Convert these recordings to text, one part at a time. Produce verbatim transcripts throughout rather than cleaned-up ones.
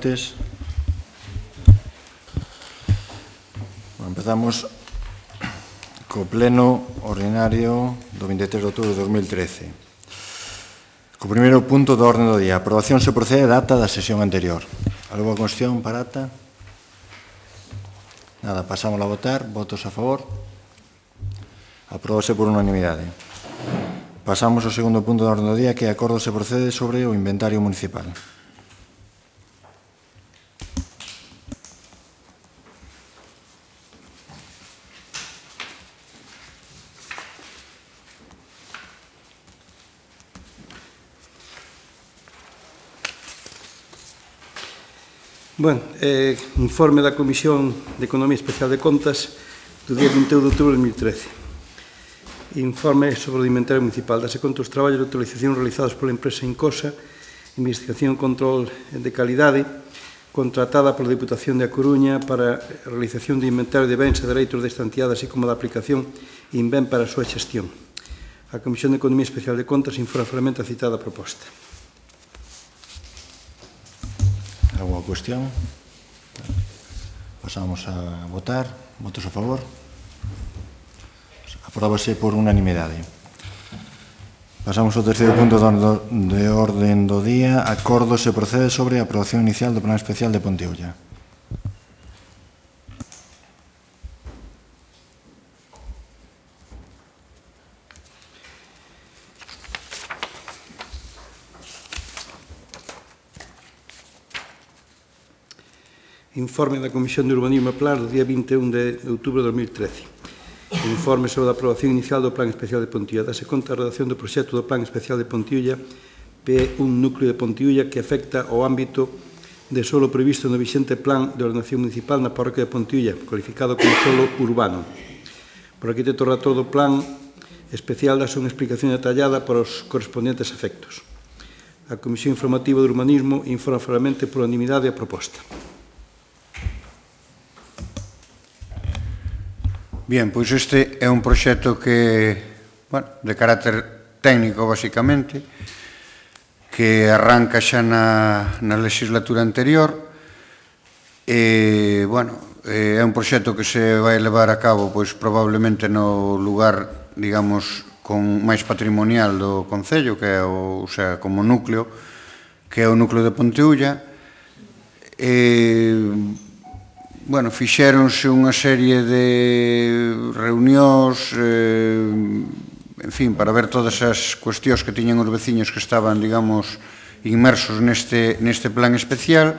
noites. Empezamos co pleno ordinario do vinte e tres de outubro de dos mil trece. Co primeiro punto do orden do día. A aprobación se procede a data da sesión anterior. Algo a cuestión para ata? Nada, pasamos a votar. Votos a favor? Apróbase por unanimidade. Pasamos ao segundo punto do orden do día, que é acordo se procede sobre o inventario municipal. Bueno, eh, informe da Comisión de Economía Especial de Contas do día vinte e un de outubro de dos mil trece. Informe sobre o inventario municipal. Dase conta os traballos de autorización realizados pola empresa Incosa, Investigación e Control de Calidade, contratada pola Diputación de A Coruña para a realización de inventario de bens e dereitos desta entidade, así como da aplicación INVEN para a súa xestión. A Comisión de Economía Especial de Contas informa finalmente a citada proposta. Alguma cuestión? Pasamos a votar. Votos a favor? Apróbase por unanimidade. Pasamos ao terceiro punto de orden do día. Acordo se procede sobre a aprobación inicial do Plan Especial de Ponteúlla. Informe da Comisión de Urbanismo e Plan do día vinte e un de outubro de dos mil trece. Informe sobre a aprobación inicial do Plan Especial de Ponteúlla. Dase conta a redacción do proxecto do Plan Especial de Ponteúlla, P un núcleo de Ponteúlla que afecta ao ámbito de solo previsto no vixente Plan de Ordenación Municipal na parroquia de Ponteúlla, cualificado como solo urbano. Por arquitecto relator do Plan Especial dase unha explicación detallada para os correspondentes efectos. A Comisión Informativa de Urbanismo informa favorablemente por unanimidade a proposta. Bien, pois este é un proxecto que, bueno, de carácter técnico, basicamente, que arranca xa na, na legislatura anterior e, bueno, é un proxecto que se vai levar a cabo, pois, probablemente no lugar, digamos, con máis patrimonial do Concello, que é o, o sea, como núcleo, que é o núcleo de Ponteúlla. E, bueno, fixéronse unha serie de reunións, eh, en fin, para ver todas as cuestións que tiñan os veciños que estaban, digamos, inmersos neste, neste plan especial.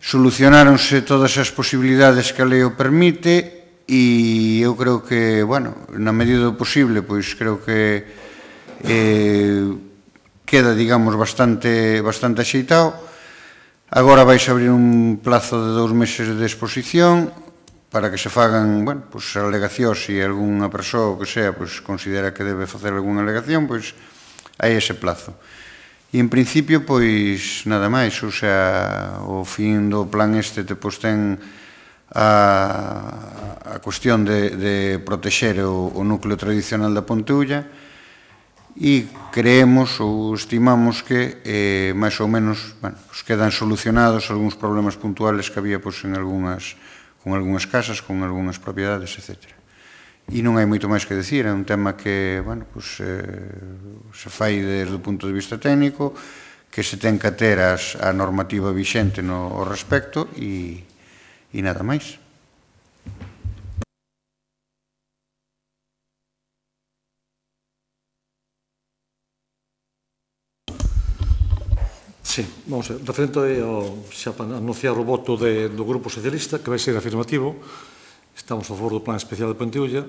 Solucionáronse todas as posibilidades que a lei o permite e eu creo que, bueno, na medida do posible, pois creo que eh, queda, digamos, bastante, bastante axeitado. Agora vais abrir un plazo de dous meses de exposición para que se fagan, bueno, pues, alegacións e algunha persoa que sea, pues, considera que debe facer algunha alegación, pois hai ese plazo. E en principio, pois, nada máis, o sea, o fin do plan este te pois ten a, a cuestión de, de protexer o, o núcleo tradicional da Ponteúlla e creemos ou estimamos que eh, máis ou menos, bueno, pues quedan solucionados algúns problemas puntuales que había pues, en algunhas, con algunhas casas, con algunhas propiedades, etcétera. E non hai moito máis que decir, é un tema que, bueno, pues, eh, se fai desde o punto de vista técnico, que se ten que ter as, a normativa vixente no ao respecto e, e nada máis. Sí, vamos a ver, referente ao, xa para anunciar o voto de, do Grupo Socialista, que vai ser afirmativo. Estamos a favor do Plan Especial de Ponteúlla.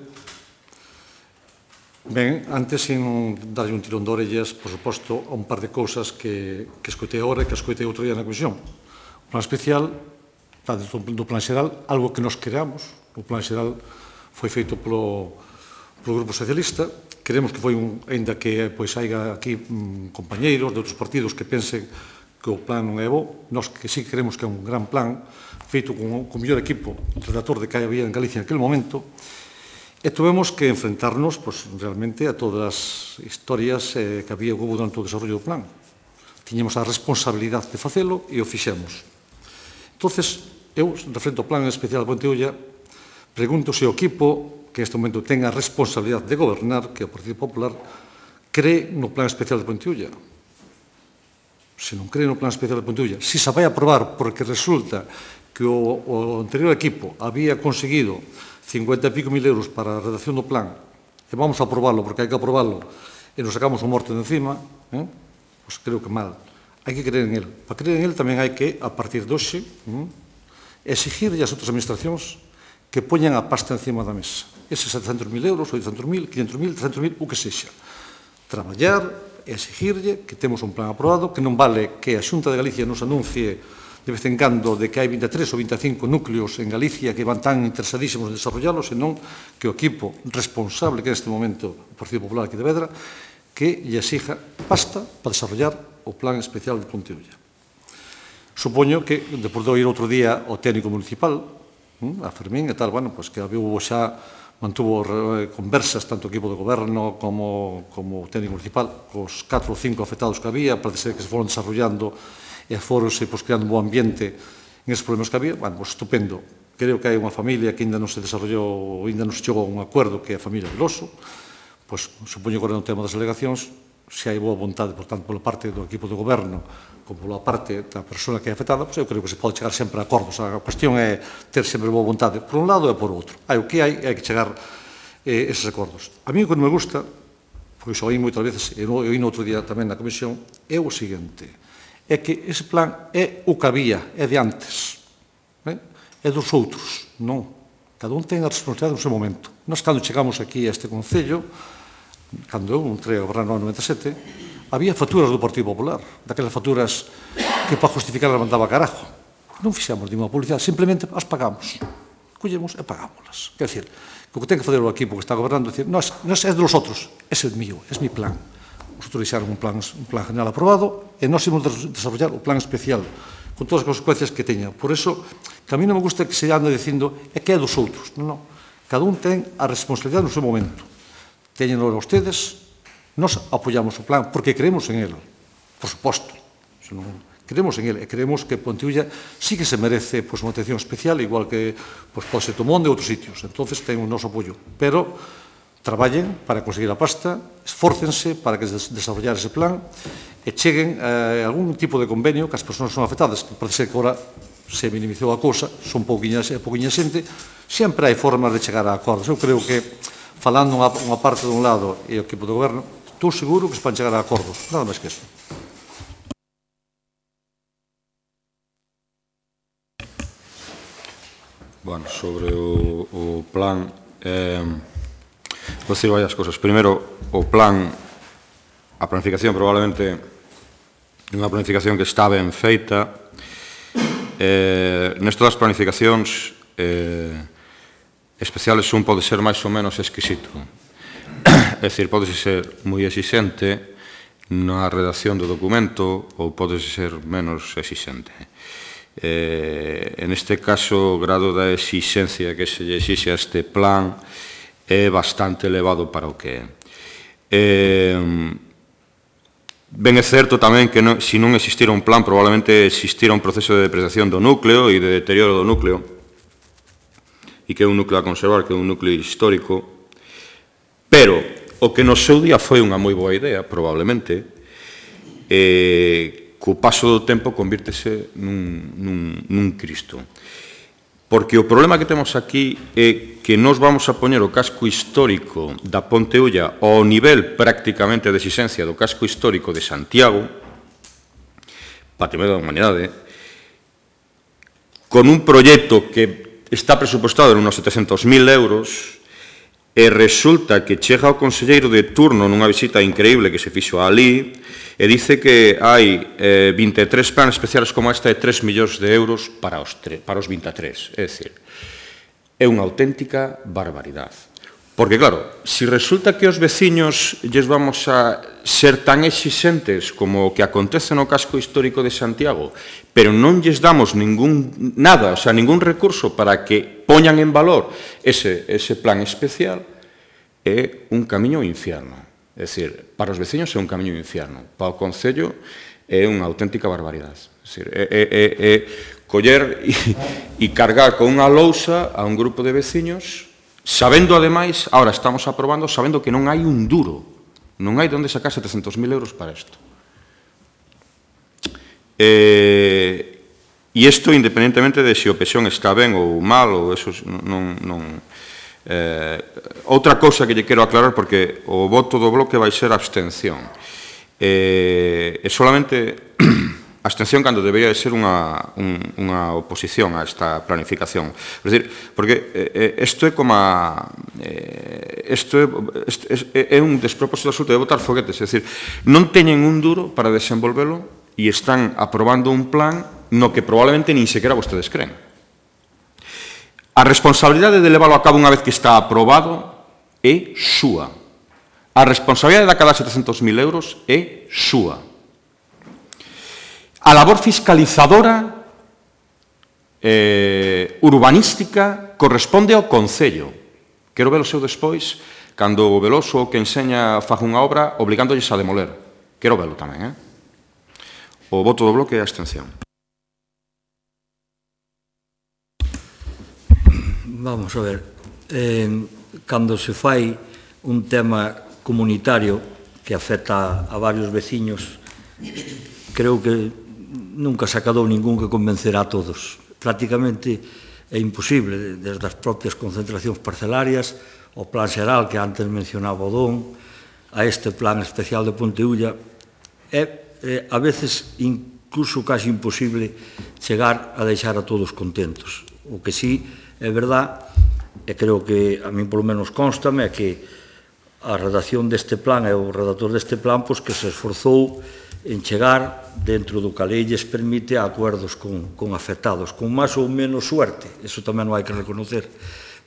Ben, antes, sin darlle un tirón de orellas, por suposto, a un par de cousas que, que escoitei agora e que escoitei outro día na Comisión. O Plan Especial, do Plan Xeral, algo que nos creamos. O Plan Xeral foi feito polo, polo Grupo Socialista. Queremos que foi un, ainda que pois haiga aquí mm, compañeiros de outros partidos que pensen que o plan non é bo, nós que sí queremos que é un gran plan, feito con, con o mellor equipo redactor de que había en Galicia en aquel momento, e tuvemos que enfrentarnos, pois, realmente a todas as historias eh, que había hubo durante o desarrollo do plan. tiñamos a responsabilidade de facelo e o fixemos. Entonces, eu, referente ao Plan Especial de Pontevedra, pregunto se o equipo que neste momento ten a responsabilidade de gobernar, que é o Partido Popular, cree no Plan Especial de Pontevedra. Se non cree no Plan Especial de Pontevedra, se se vai aprobar porque resulta que o, o anterior equipo había conseguido cincuenta e pico mil euros para a redacción do plan, e vamos a aprobarlo porque hai que aprobarlo, e nos sacamos o morto de encima, eh? Pois creo que mal. Hai que creer en él. Para creer en él tamén hai que, a partir de hoxe, eh? exigirlle ás outras administracións que poñan a pasta encima da mesa. Eses setecentos mil euros, oitocentos mil, quinhentos mil, trescentos mil, o que sexa. Traballar e exigirlle que temos un plan aprobado, que non vale que a Xunta de Galicia nos anuncie de vez en cando de que hai vinte e tres ou vinte e cinco núcleos en Galicia que van tan interesadísimos en desarrollarlos, senón que o equipo responsable que neste momento o Partido Popular aquí de Vedra, que lle exija pasta para desarrollar o Plan Especial de Pontevedra. Supoño que, depois de oír outro día o técnico municipal, a Fermín e tal, bueno, pois que había xa mantuvo conversas tanto o equipo de goberno como, como o técnico municipal, cos catro ou cinco afectados que había, parece ser que se foron desarrollando e foronse pois, creando un bo ambiente en esos problemas que había. Bueno, pois estupendo. Creo que hai unha familia que ainda non se desarrollou, ainda non se chegou a un acordo, que é a familia Veloso. Pois supoño que agora no tema das delegacións, se hai boa vontade, por tanto, pola parte do equipo de goberno, como pola parte da persona que é afectada, pois eu creo que se pode chegar sempre a acordos. A cuestión é ter sempre boa vontade por un lado e por outro. Hai o que hai, hai que chegar eh, eses acordos. A mí o que non me gusta, pois oí moitas veces, e oí no outro día tamén na comisión, é o seguinte: é que ese plan é o que había, é de antes, eh? é dos outros, non. Cada un ten a responsabilidade no seu momento. Nós, cando chegamos aquí a este Concello, cando eu entrei a gobernar no noventa e sete, había facturas do Partido Popular, daquelas facturas que para justificar as mandaba carajo. Non fixamos ninguna publicidade, simplemente as pagamos. Collemos e pagámoslas. Quer dizer, que o que ten que fazer o equipo que está gobernando é dicir, non é dos outros, ese é mío, é mi plan. Nosotros deixaron un plan, un plan general aprobado e nós ímos desarrollar o plan especial con todas as consecuencias que teña. Por eso, que a mí non me gusta que se ande dicindo é que é dos outros. Non, non. Cada un ten a responsabilidade no seu momento. Teñenlo a ustedes, nós apoiamos o plan porque creemos en ele, por suposto. Creemos en ele e creemos que Pontevedra sí que se merece pois, unha atención especial, igual que pois, pode ser Tomonde e outros sitios. Entonces, ten o noso apoio. Pero traballen para conseguir a pasta, esfórcense para que desarrollar ese plan e cheguen a algún tipo de convenio que as persoas son afectadas, que parece ser que agora se minimizou a cousa, son pouquiña xente, sempre hai formas de chegar a acordos. Eu creo que, falando unha, unha parte dun lado e o equipo de goberno, estou seguro que se van chegar a acordos, nada máis que eso. Bueno, sobre o, o plan, eh, vou dicir varias cosas. Primeiro, o plan, a planificación probablemente é unha planificación que está ben feita. Eh, nesto das planificacións eh, especiales un pode ser máis ou menos exquisito. É dicir, pode ser moi exixente na redacción do documento ou pode ser menos exixente. Eh, en este caso, o grado da exixencia que se lle exixe a este plan é bastante elevado para o que é. Eh, ben é certo tamén que non, se non existira un plan, probablemente existira un proceso de depreciación do núcleo e de deterioro do núcleo, e que é un núcleo a conservar, que é un núcleo histórico, pero o que no seu día foi unha moi boa idea, probablemente, eh, co paso do tempo convírtese nun, nun, nun Cristo. Porque o problema que temos aquí é que nos vamos a poñer o casco histórico da Ponte Ulla ao nivel prácticamente de exixencia do casco histórico de Santiago, Patrimonio da Humanidade, con un proxecto que está presupostado en uns setecentos mil euros e resulta que chega o conselleiro de turno nunha visita increíble que se fixo ali e dice que hai eh, vinte e tres planes especiales como esta e tres millóns de euros para os, para os vinte e tres. É dicir, é unha auténtica barbaridade. Porque, claro, se resulta que os veciños lles vamos a ser tan exixentes como o que acontece no casco histórico de Santiago, pero non lles damos ningún, nada, o sea, ningún recurso para que poñan en valor ese, ese plan especial, é un camiño ao infierno. É dicir, para os veciños é un camiño ao infierno. Para o Concello é unha auténtica barbaridade. É, é, é, é coller e, e cargar con unha lousa a un grupo de veciños, sabendo, ademais, ahora estamos aprobando, sabendo que non hai un duro, non hai de onde sacar setecentos mil euros para isto. E, e isto, independentemente de se o Pexón está ben ou mal, ou eso non... non eh, outra cousa que lle quero aclarar, porque o voto do bloque vai ser abstención. E, e solamente abstención cando debería de ser unha, un, unha oposición a esta planificación. É dicir, porque isto eh, é como a... Isto eh, é, é un despropósito absoluto de botar foguetes. É dicir, non teñen un duro para desenvolvelo e están aprobando un plan no que probablemente nin sequera vostedes creen. A responsabilidade de leválo a cabo unha vez que está aprobado é súa. A responsabilidade de cada setecentos mil euros é súa. A labor fiscalizadora eh, urbanística corresponde ao Concello. Quero ver o seu despois, cando o Veloso que enseña faga unha obra obligándolles a demoler. Quero verlo tamén, eh? O voto do bloque é a abstención. Vamos a ver, eh, cando se fai un tema comunitario que afecta a varios veciños, creo que nunca se acadou ningún que convencerá a todos. Prácticamente é imposible, desde as propias concentracións parcelarias, o plan xeral que antes mencionaba o Don, a este plan especial de Ponteulla, é, é a veces incluso casi imposible chegar a deixar a todos contentos. O que sí é verdad, e creo que a min polo menos constame, é que a redacción deste plan e o redactor deste plan pois, que se esforzou en chegar dentro do que a lei lles permite a acuerdos con, con afectados, con máis ou menos suerte, eso tamén non hai que reconocer,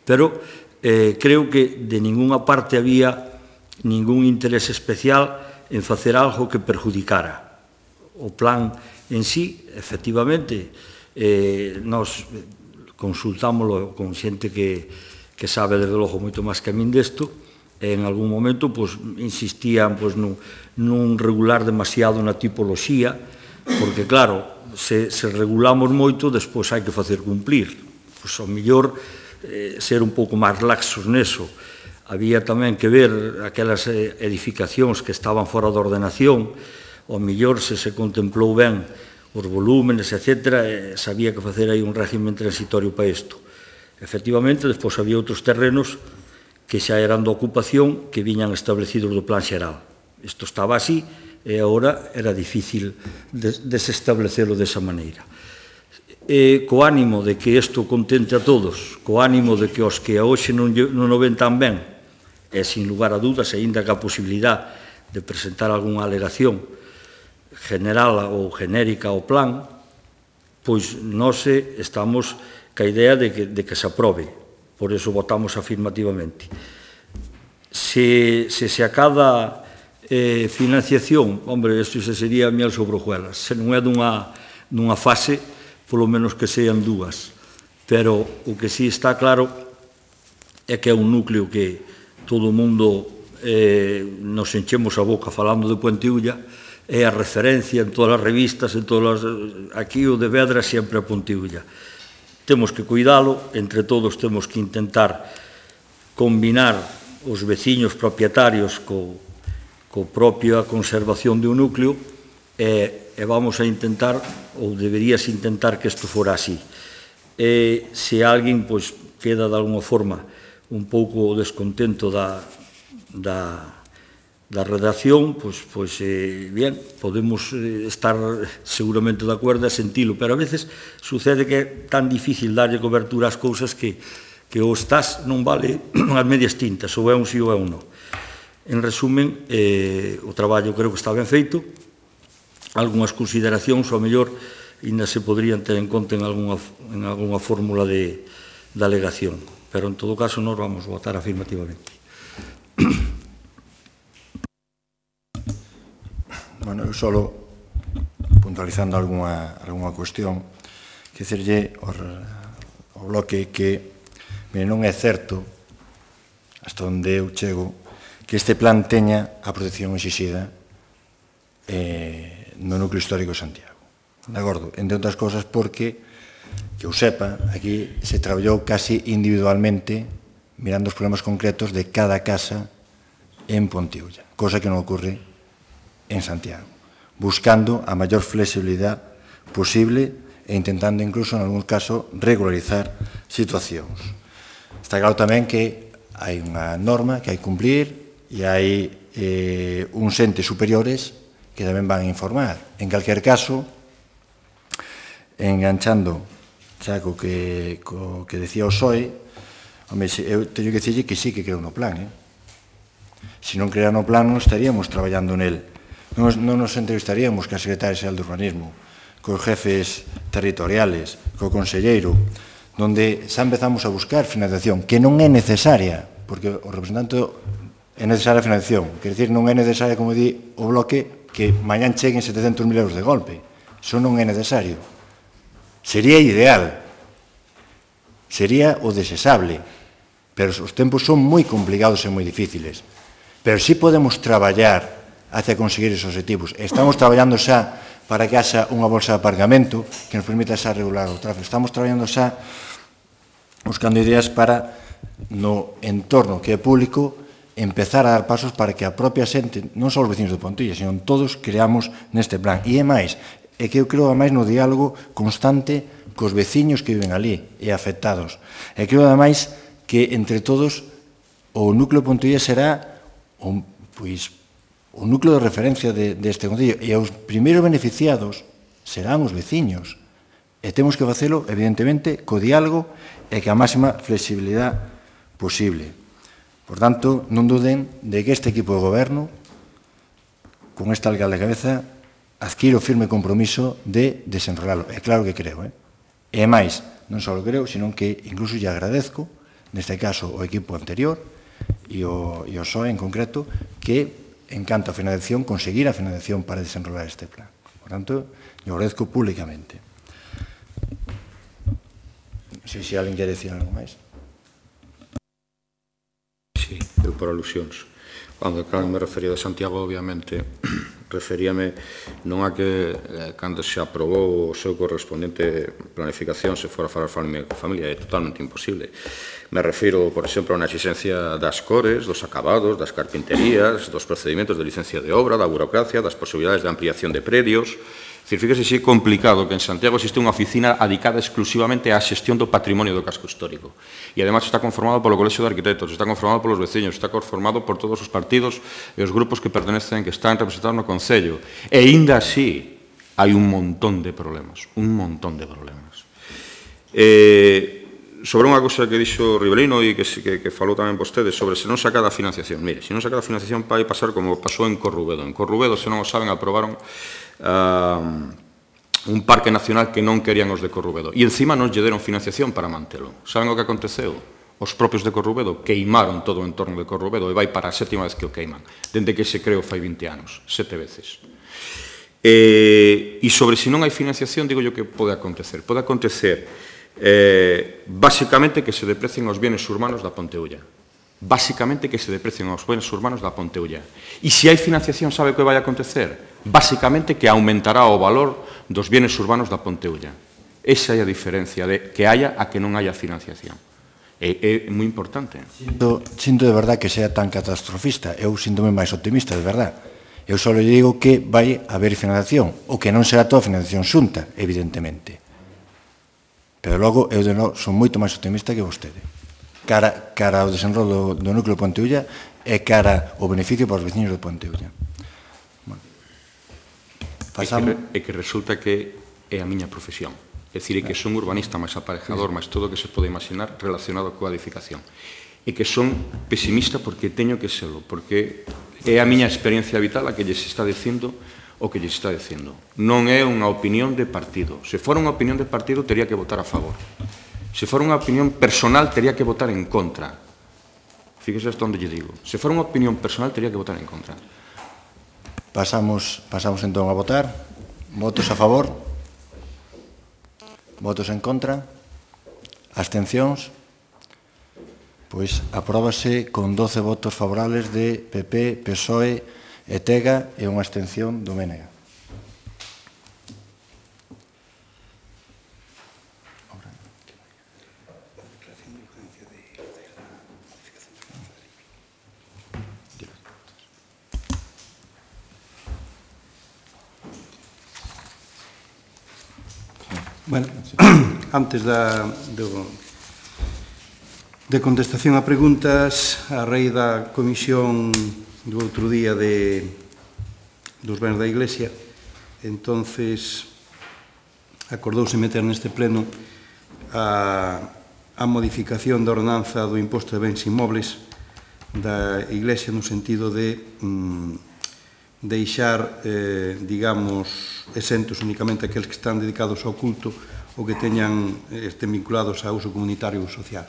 pero eh, creo que de ninguna parte había ningún interés especial en facer algo que perjudicara. O plan en sí, efectivamente, eh, nos consultámoslo con xente que, que sabe, desde logo, moito máis que a min desto, e en algún momento pues, insistían pues, nun, nun regular demasiado na tipoloxía, porque, claro, se, se regulamos moito, despois hai que facer cumplir. Pois, ao mellor, eh, ser un pouco máis laxos neso. Había tamén que ver aquelas edificacións que estaban fora da ordenación, ao mellor se se contemplou ben os volúmenes, etcétera, e sabía que facer aí un régimen transitorio para isto. Efectivamente, despois había outros terrenos que xa eran de ocupación que viñan establecidos do plan xeral. Isto estaba así e agora era difícil desestablecelo desa maneira. E co ánimo de que isto contente a todos, co ánimo de que os que a hoxe non, non o ven tan ben, e sin lugar a dudas, aínda que a posibilidade de presentar algunha alegación general ou genérica ao plan, pois nós estamos ca idea de que, de que se aprobe. Por eso votamos afirmativamente. Se se, se acada eh, financiación, hombre, isto se sería miel sobre hojuelas. Se non é dunha, dunha fase, polo menos que sean dúas. Pero o que sí está claro é que é un núcleo que todo o mundo eh, nos enchemos a boca falando de Ponteulla, é a referencia en todas as revistas, en todas as, aquí o de Vedra sempre a Ponteulla. Temos que cuidalo, entre todos temos que intentar combinar os veciños propietarios co, co propia conservación de un núcleo e, e vamos a intentar, ou deberías intentar que isto fora así. E se alguén pois, queda de alguma forma un pouco descontento da, da, da redacción, pois, pois eh, bien, podemos eh, estar seguramente de acordo e sentilo, pero a veces sucede que é tan difícil darlle cobertura ás cousas que, que o estás non vale as medias tintas, ou é un sí ou é un non. En resumen, eh, o traballo creo que está ben feito, algunhas consideracións, ao mellor, ainda se podrían ter en conta en algunha, en algunha fórmula de, de alegación, pero en todo caso nós vamos votar afirmativamente. Bueno, eu solo puntualizando algunha, algunha cuestión, que dicirlle ao bloque que mire, non é certo, hasta onde eu chego, que este plan teña a protección exixida eh, no núcleo histórico de Santiago. De acordo? Entre outras cosas porque, que eu sepa, aquí se traballou casi individualmente mirando os problemas concretos de cada casa en Pontiulla, cosa que non ocurre en Santiago, buscando a maior flexibilidade posible e intentando incluso, en algún caso, regularizar situacións. Está claro tamén que hai unha norma que hai que cumplir e hai eh, uns entes superiores que tamén van a informar. En calquer caso, enganchando xa co que, co que decía o P S O E, home, eu teño que dicirlle que sí que creo no plan, eh? Se non creara no plan, non estaríamos traballando nel. Non, non nos entrevistaríamos ca Secretaria Xeral de Urbanismo, cos jefes territoriales, co conselleiro, donde xa empezamos a buscar financiación, que non é necesaria, porque o representante é necesaria a financiación, quer dizer, non é necesaria, como di o bloque, que mañán cheguen setecentos mil euros de golpe. Iso non é necesario. Sería ideal, sería o desexable, pero os tempos son moi complicados e moi difíciles. Pero sí podemos traballar hacia conseguir esos objetivos. Estamos traballando xa para que haxa unha bolsa de aparcamento que nos permita xa regular o tráfico. Estamos traballando xa buscando ideas para, no entorno que é público, empezar a dar pasos para que a propia xente, non só os vecinos de Pontilla, sino todos creamos neste plan. E é máis, é que eu creo ademais no diálogo constante cos veciños que viven ali e afectados. E creo ademais que entre todos o núcleo de Pontilla será o, pois, o núcleo de referencia de, deste concello e os primeiros beneficiados serán os veciños. E temos que facelo, evidentemente, co diálogo e que a máxima flexibilidade posible. Por tanto, non duden de que este equipo de goberno, con esta alcalde de cabeza, adquire o firme compromiso de desenrolalo. É claro que creo, eh? E máis, non só o creo, sino que incluso lle agradezco, neste caso, o equipo anterior e o, e o P S O E en concreto, que, en canto a financiación, conseguir a financiación para desenrolar este plan. Por tanto, lle agradezco públicamente. Non sei se alguén quer decir algo máis. Sí, eu por alusións. Cando claro, me refería de Santiago, obviamente, referíame non a que eh, cando se aprobou o seu correspondente planificación se fora a falar a familia, é totalmente imposible. Me refiro, por exemplo, a unha exigencia das cores, dos acabados, das carpinterías, dos procedimentos de licencia de obra, da burocracia, das posibilidades de ampliación de predios. É dicir, fíjese si é complicado que en Santiago existe unha oficina dedicada exclusivamente á xestión do patrimonio do casco histórico. E, además, está conformado polo Colexio de Arquitectos, está conformado polos veciños, está conformado por todos os partidos e os grupos que pertenecen, que están representados no Concello. E, ainda así, hai un montón de problemas, un montón de problemas. Eh... Sobre unha cousa que dixo Ribelino e que, que, que falou tamén vostede sobre se non saca da financiación. Mire, se non saca da financiación vai pasar como pasou en Corrubedo. En Corrubedo, se non o saben, aprobaron uh, un parque nacional que non querían os de Corrubedo. E encima non lle deron financiación para mantelo. Saben o que aconteceu? Os propios de Corrubedo queimaron todo o entorno de Corrubedo e vai para a sétima vez que o queiman. Dende que se creou fai vinte anos. Sete veces. E, e sobre se non hai financiación, digo yo que pode acontecer. Pode acontecer... Eh, básicamente que se deprecien os bienes urbanos da Ponteulla. Básicamente que se deprecien os bienes urbanos da Ponteulla. E se hai financiación, sabe o que vai acontecer? Básicamente que aumentará o valor dos bienes urbanos da Ponteulla. Esa é a diferencia de que haya a que non haya financiación. É, é moi importante. Sinto, sinto de verdad que sea tan catastrofista. Eu síntome máis optimista, de verdad. Eu só lle digo que vai haber financiación, o que non será toda financiación xunta, evidentemente. Pero logo, eu de novo son moito máis optimista que vostede. Cara, cara ao desenrolo do, do núcleo de Ponteulla e cara ao beneficio para os veciños de Ponteulla. Bueno. Pasamos... É, que, é que resulta que é a miña profesión. É dicir, é que son urbanista máis aparejador, máis todo o que se pode imaginar relacionado coa edificación. E que son pesimista porque teño que serlo, porque é a miña experiencia vital a que lles está dicindo o que lle está dicindo. Non é unha opinión de partido. Se fora unha opinión de partido, tería que votar a favor. Se fora unha opinión personal, tería que votar en contra. Fíjese hasta onde lle digo. Se fora unha opinión personal, tería que votar en contra. Pasamos, pasamos entón a votar. Votos a favor? Votos en contra? Abstencións? Pois apróbase con doce votos favorables de P P, P S O E, E T E G A e unha abstención do M N G. Bueno, antes da, do, de contestación a preguntas, a raíz da comisión do outro día de, dos bens da Iglesia, entonces acordouse meter neste pleno a, a modificación da ordenanza do imposto de bens inmobles da Iglesia no sentido de mm, deixar, eh, digamos, exentos únicamente aqueles que están dedicados ao culto ou que teñan, estén vinculados a uso comunitario ou social.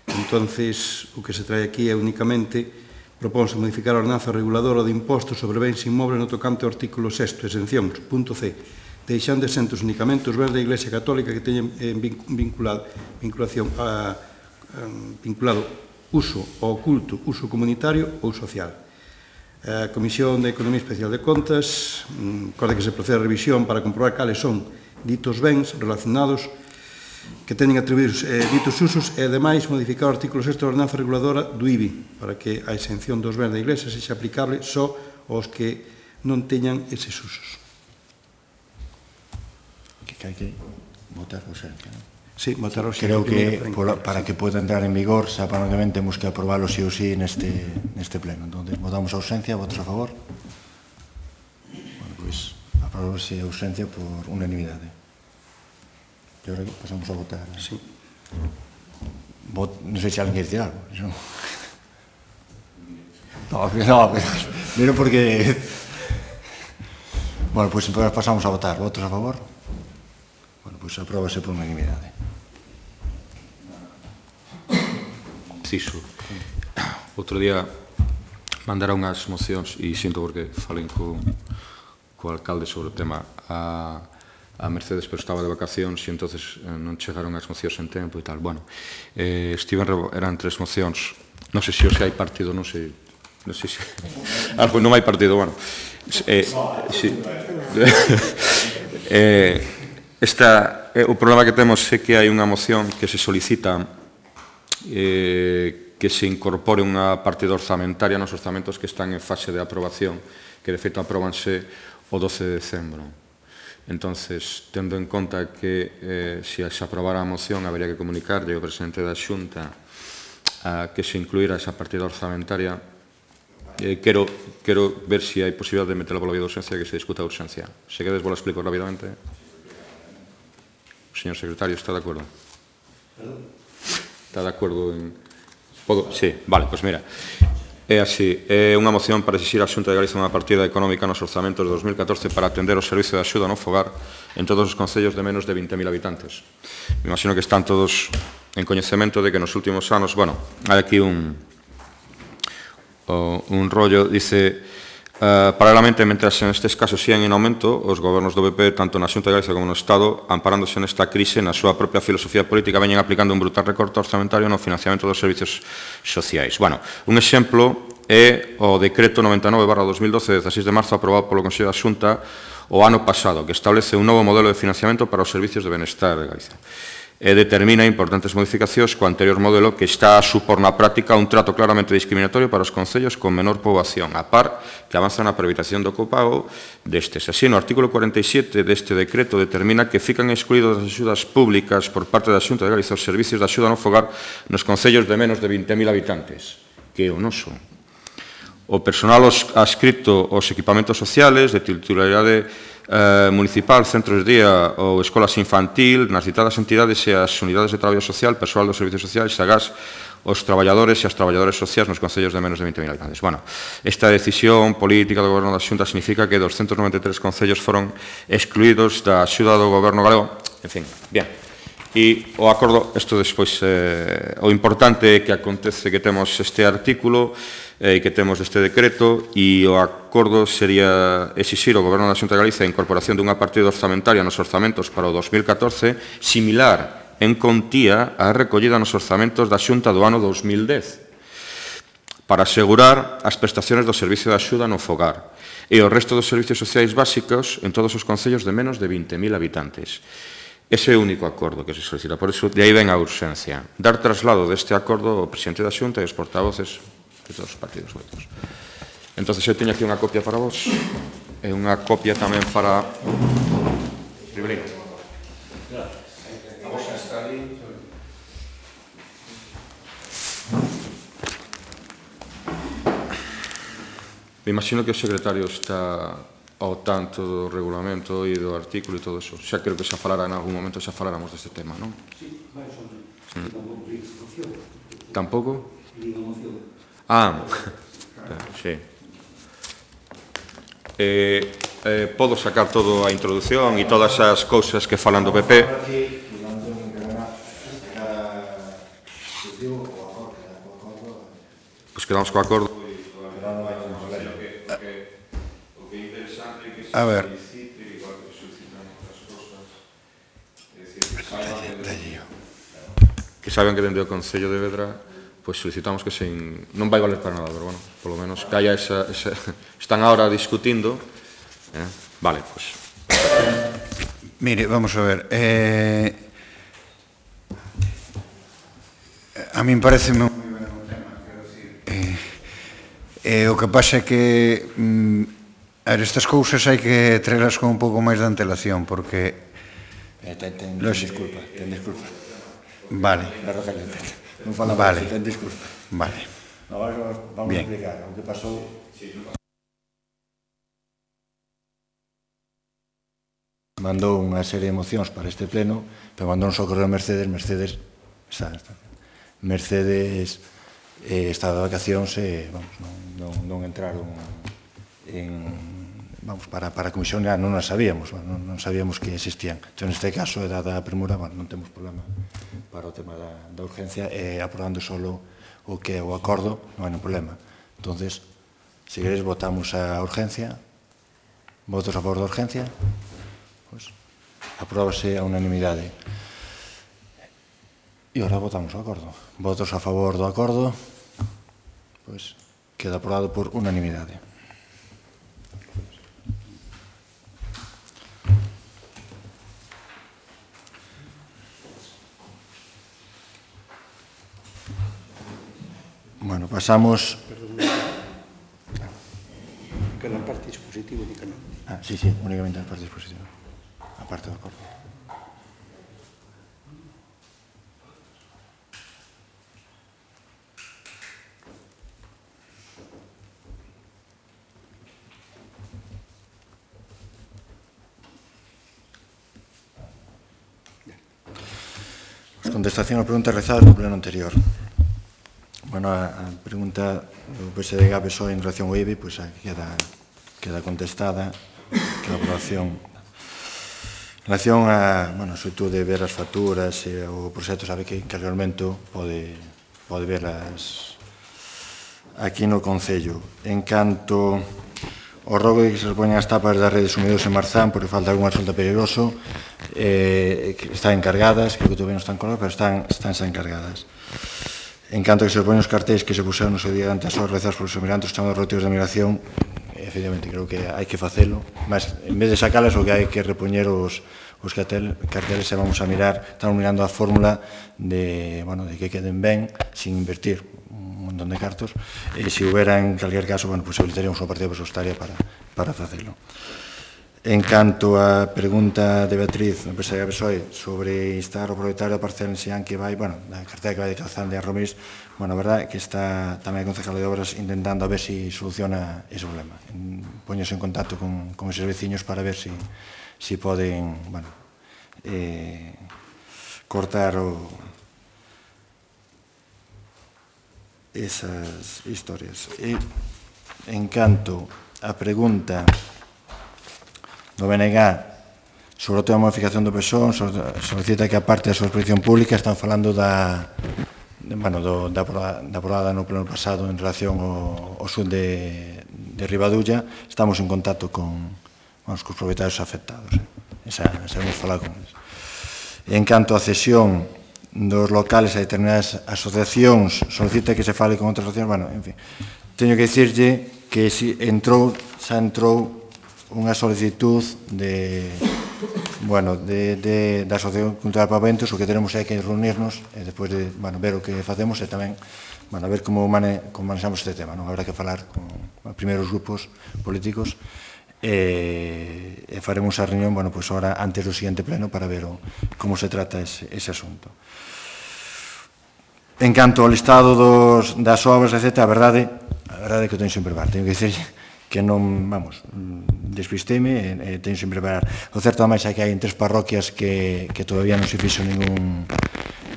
Entonces, o que se trae aquí é únicamente propónse modificar a ordenanza reguladora de impostos sobre bens inmobles no tocante ao artículo sexto, exencións, punto C, deixando exentos únicamente os bens da Iglesia Católica que teñen eh, vinculado, vinculación a, a, vinculado uso ao culto, uso comunitario ou social. A Comisión de Economía Especial de Contas acorda que se procede a revisión para comprobar cales son ditos bens relacionados que teñen atribuídos eh, ditos usos e, ademais, modificar o artículo sexto da ordenanza reguladora do I B I para que a exención dos bens da Iglesia sexa aplicable só aos que non teñan eses usos. Que hai que votar o xente, non? Sí, votar o xente. Creo que por, para que pueda entrar en vigor, xa para que temos que aprobarlo sí ou sí neste, neste pleno. Entón, votamos a ausencia, votos a favor? Bueno, pois, aprobamos a ausencia por unanimidade. E agora pasamos a votar. Sí. Vot, non sei se alguén quer decir algo. No, no, miro porque... Bueno, pois pasamos a votar. Votos a favor? Bueno, pois apróbase por unanimidade. Preciso. Outro día mandaron unhas mocións e sinto porque falei co, co alcalde sobre o tema a, a Mercedes, pero estaba de vacacións e entonces non chegaron as mocións en tempo e tal. Bueno, eh, estiven, eran tres mocións, non sei se hoxe hai partido, non sei, non sei se... Ah, pois non hai partido, bueno. Eh, sí. eh, esta, eh, o problema que temos é que hai unha moción que se solicita Eh, que se incorpore unha partida orzamentaria nos orzamentos que están en fase de aprobación, que de feito apróbanse o doce de decembro. Entonces, tendo en conta que eh, se se aprobara a moción, habería que comunicarlle ao presidente da Xunta a que se incluíra esa partida orzamentaria. Eh, quero, quero ver se hai posibilidade de meterla pola vía de urgencia, que se discuta a urgencia. Se quedes, vos lo explico rapidamente. O señor secretario, está de acordo? Perdón? Está de acordo en... Podo? Sí, vale, pois mira. É así, é unha moción para exixir a Xunta de Galicia unha partida económica nos orzamentos de dos mil catorce para atender o servicio de axuda no fogar en todos os concellos de menos de vinte mil habitantes. Me imagino que están todos en coñecemento de que nos últimos anos, bueno, hai aquí un un rollo, dice... Uh, paralelamente, mentras nestes casos sigan en aumento, os gobernos do B P, tanto na Xunta de Galicia como no Estado, amparándose nesta crise, na súa propia filosofía política, veñen aplicando un brutal recorte orzamentario no financiamento dos servicios sociais. Bueno, un exemplo é o decreto noventa e nove barra dos mil doce, de dezaseis de marzo, aprobado polo Consello da Xunta o ano pasado, que establece un novo modelo de financiamento para os servicios de benestar de Galicia. E determina importantes modificacións co anterior modelo que está a supor na práctica un trato claramente discriminatorio para os concellos con menor poboación, a par que avanza na previtación do copago destes. Así, no artículo cuarenta e sete deste decreto determina que fican excluídos das axudas públicas por parte da Xunta de Galicia os servicios de axuda no fogar nos concellos de menos de vinte mil habitantes, que é o noso. O personal adscrito aos equipamentos sociales de titularidade eh, municipal, centros de día ou escolas infantil, nas citadas entidades e as unidades de traballo social, persoal dos servicios sociais, agás, os traballadores e as traballadores sociais nos concellos de menos de vinte mil habitantes. Bueno, esta decisión política do Goberno da Xunta significa que doscientos noventa e tres concellos foron excluídos da axuda do Goberno galego. En fin, bien. E o acordo, isto despois, eh, o importante é que acontece que temos este artículo e eh, que temos este decreto e o acordo sería exixir ao Goberno da Xunta de Galicia a incorporación dunha partida orzamentaria nos orzamentos para o dos mil catorce similar en contía á recollida nos orzamentos da Xunta do ano dos mil dez para asegurar as prestaciones do servicio de axuda no fogar e o resto dos servicios sociais básicos en todos os concellos de menos de vinte mil habitantes. Ese é o único acordo que se solicita. Por iso, de aí ven a urxencia. Dar traslado deste acordo ao presidente da Xunta e aos portavoces de todos os partidos votos. Entón, eu teño aquí unha copia para vos e unha copia tamén para... Ribeiro. Me imagino que o secretario está ao tanto do regulamento e do artículo e todo eso. Xa creo que xa falará en algún momento, xa falaramos deste tema, non? Sí, máis ou menos. Tampouco? Ah, sí. Eh, eh, podo sacar todo a introdución e todas as cousas que falan do P P. Pois quedamos co acordo. A ver. Que saben que dende o Concello de Vedra pois solicitamos que se in... non vai valer para nada, pero bueno, polo menos que haya esa, esa... están ahora discutindo, eh? Vale, pois mire, vamos a ver, eh... a min parece moi ben o tema, quero dicir, eh... eh, o que pasa é que mm, a ver, estas cousas hai que traerlas con un pouco máis de antelación, porque eh, ten, ten, ten disculpa, ten disculpa. Vale. Non falamos, vale. Ten disculpa. Vale. No, vamos, vamos a explicar o que pasou. Mandou unha serie de mocións para este pleno, pero mandou non só correo a Mercedes, Mercedes, está, está. Mercedes eh, está de vacacións e, vamos, non, non, non entraron en... Vamos, para, para a comisión non as sabíamos, non, non sabíamos que existían. Entón, neste caso, dada a premura, bueno, non temos problema para o tema da, da urgencia, e aprobando solo o que é o acordo, non hai un problema. Entón, se queréis, votamos a urgencia. Votos a favor da urgencia? Pois, apróbase a unanimidade. E agora votamos o acordo. Votos a favor do acordo? Pois, queda aprobado por unanimidade. Bueno, pasamos... Que na parte dispositiva di que non. Ah, sí, sí, únicamente na parte dispositiva. A parte do acordo. Pues contestación a preguntas realizadas no pleno anterior. Bueno, a, a pregunta do P S D G P S O E en relación ao I B I pois pues, queda, queda contestada, que a aprobación en relación a, bueno, sobre todo de ver as facturas e o proxecto, sabe que, que realmente pode, pode verlas aquí no Concello. En canto ao rogo de que se repoñan as tapas das redes sumidos en Marzán porque falta algún asfalto peligroso, eh, que están encargadas, creo que todavía non están colgadas, pero están, están xa encargadas. En canto que se repoñen os cartéis que se puseron no seu día ante as obras realizadas polos emigrantes chamados retiros de migración, efectivamente, creo que hai que facelo, mas en vez de sacalas o que hai que repoñer os, os cartel, carteles e vamos a mirar, estamos mirando a fórmula de, bueno, de que queden ben, sin invertir un montón de cartos, e se houbera en calquer caso, bueno, pues habilitaríamos unha partida presupuestaria para, para facelo. En canto á pregunta de Beatriz, no P S D G P S O E, sobre instar o propietario da parcela en Xián que vai, bueno, da cartera que vai de Calzán de Arromis, bueno, a verdade é que está tamén a Concejal de Obras intentando a ver se si soluciona ese problema. Poñose en contacto con, con eses veciños para ver se si, si poden, bueno, eh, cortar o, esas historias. E, en canto á pregunta do B N G sobre o tema de modificación do P S O E, solicita que a parte da súa exposición pública están falando da, bueno, do, da, da aprobada no pleno pasado en relación ao, ao sur de, de Ribadulla. Estamos en contacto con, vamos, con os propietarios afectados. Eh. Esa, esa hemos falado con eles. En canto á cesión dos locales a determinadas asociacións, solicita que se fale con outras asociacións. Bueno, en fin, teño que dicirlle que si entrou, xa entrou unha solicitud de, bueno, de, de, da Asociación Cultural Paventos. O que tenemos é que reunirnos e despois de, bueno, ver o que facemos e tamén, bueno, a ver como, mane, como manexamos este tema, non? Habrá que falar con os primeiros grupos políticos e, e faremos a reunión, bueno, pois ahora antes do siguiente pleno para ver o, como se trata ese, ese asunto. En canto ao listado dos, das obras, etcétera, a verdade, a verdade é que o teño sin preparar. Teño que dicir que non, vamos, despisteme e, e teño sin preparar. O certo, ademais, é que hai en tres parroquias que, que todavía non se fixo ningún,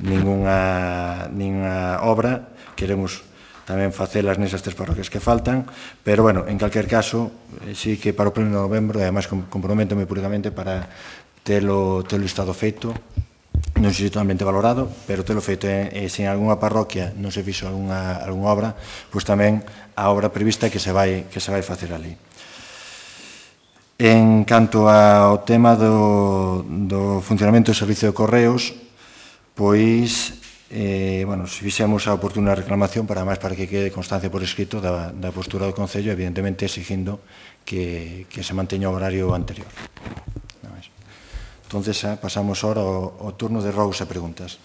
ninguna, ninguna obra. Queremos tamén facelas nesas tres parroquias que faltan, pero, bueno, en calquer caso, sí que para o pleno de novembro, e además comprométome públicamente para telo, telo estado feito, non sei se totalmente valorado, pero telo feito, e, e se en algunha parroquia non se fixo algunha, algunha obra, pois tamén a obra prevista que se vai, que se vai facer ali. En canto ao tema do, do funcionamento do servicio de correos, pois, eh, bueno, se fixemos a oportuna reclamación para máis para que quede constancia por escrito da, da postura do Concello, evidentemente exigindo que, que se manteña o horario anterior. Entonces, eh, pasamos ahora ao, ao turno de rogos e preguntas.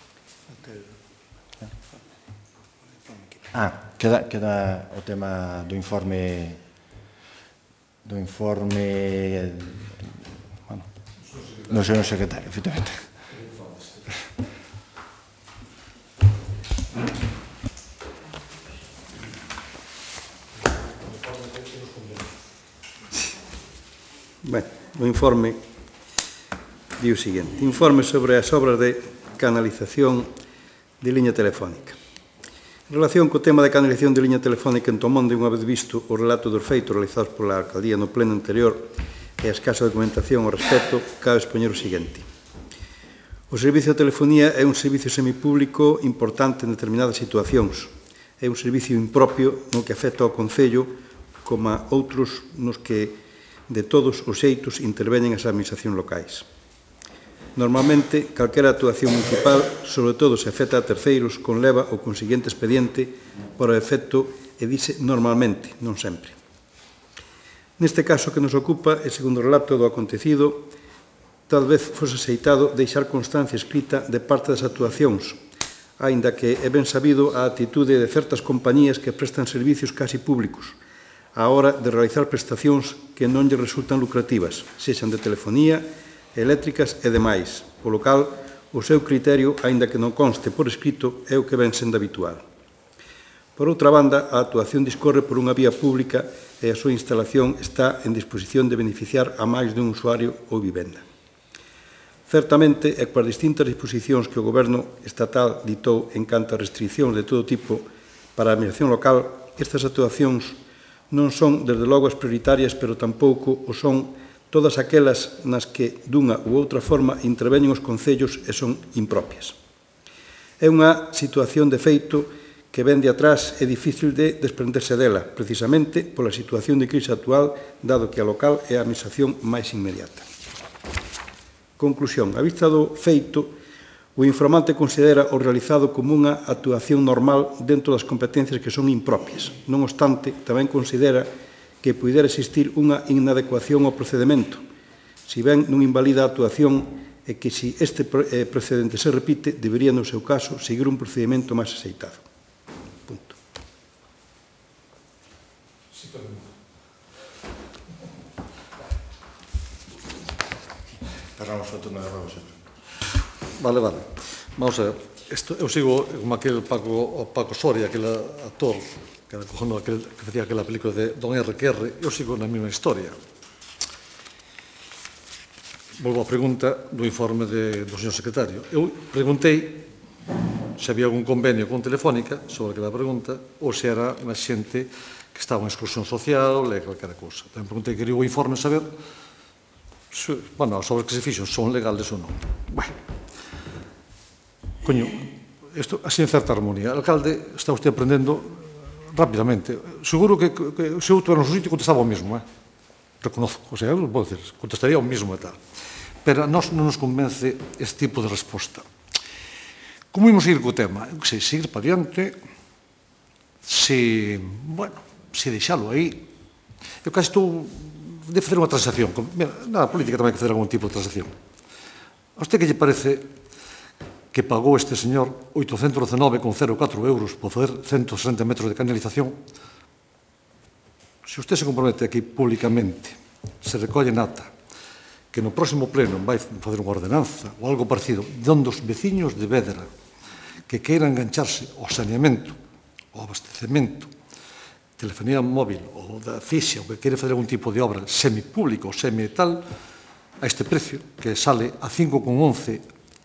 Ah, queda, queda o tema do informe do informe bueno, do señor secretario, efectivamente. Ben, o informe di o seguinte: informe sobre as obras de canalización de liña telefónica. En relación co tema de canalización de liña telefónica en Tomonde, unha vez visto o relato dos feitos realizados pola Alcaldía no pleno anterior e a escasa documentación ao respecto, cabe expoñer o seguinte. O servicio de telefonía é un servicio semipúblico importante en determinadas situacións. É un servicio impropio no que afecta ao Concello, como a outros nos que de todos os xeitos interveñen as administracións locais. Normalmente, calquera actuación municipal, sobre todo se afecta a terceiros, conleva o consiguiente expediente para o efecto, e dice normalmente, non sempre. Neste caso que nos ocupa, e segundo o relato do acontecido, tal vez fose aceitado deixar constancia escrita de parte das actuacións, aínda que é ben sabido a atitude de certas compañías que prestan servicios casi públicos, á hora de realizar prestacións que non lle resultan lucrativas, sexan de telefonía, eléctricas e demais, polo cal o seu criterio, aínda que non conste por escrito, é o que ven sendo habitual. Por outra banda, a actuación discorre por unha vía pública e a súa instalación está en disposición de beneficiar a máis dun usuario ou vivenda. Certamente, e coas distintas disposicións que o Goberno estatal ditou en canto a restriccións de todo tipo para a administración local, estas actuacións non son, desde logo, as prioritarias, pero tampouco o son todas aquelas nas que, dunha ou outra forma, interveñen os concellos e son impropias. É unha situación de feito que ven de atrás e difícil de desprenderse dela, precisamente pola situación de crise actual, dado que a local é a administración máis inmediata. Conclusión. A vista do feito, o informante considera o realizado como unha actuación normal dentro das competencias que son impropias. Non obstante, tamén considera que pudera existir unha inadecuación ao procedimento, si ben non invalida a actuación e que, si este procedente se repite, debería, no seu caso, seguir un procedimento máis aceitado. Punto. Cerramos o turno de rogos. Vale, vale. Vamos a ver. Esto, eu sigo como aquel Paco, o Paco Soria, aquel actor que, era, aquel, que facía aquela película de Don R que R, eu sigo na mesma historia. Volvo á pregunta do informe de, do señor secretario. Eu preguntei se había algún convenio con Telefónica sobre aquela pregunta ou se era unha xente que estaba en exclusión social e calquera cousa. Tamén preguntei que quería o informe saber se, bueno, as obras que se fixo son legales ou non. Bueno, coño, isto así en certa armonía. O alcalde está usted aprendendo rapidamente. Seguro que, que se eu tuviera no seu sitio contestaba o mesmo, eh? Reconozco, o sea, eu non podo decir, contestaría o mesmo e tal. Pero a nós non nos convence este tipo de resposta. Como imos ir co tema? Eu que sei, seguir para diante, se, bueno, se deixalo aí. Eu casi estou de facer unha transacción. Mira, na política tamén hai que facer algún tipo de transacción. A usted que lle parece que pagou este señor oitocentos dezenove con cero catro euros por fazer ciento sesenta metros de canalización? Se usted se compromete aquí públicamente se recolle nata que no próximo pleno vai fazer unha ordenanza ou algo parecido onde os veciños de Vedra que queiran engancharse ao saneamento, ao abastecemento, telefonía móvil ou da fixa, ou que quere fazer algún tipo de obra semipúblico ou semi-tal, a este precio, que sale a cinco con once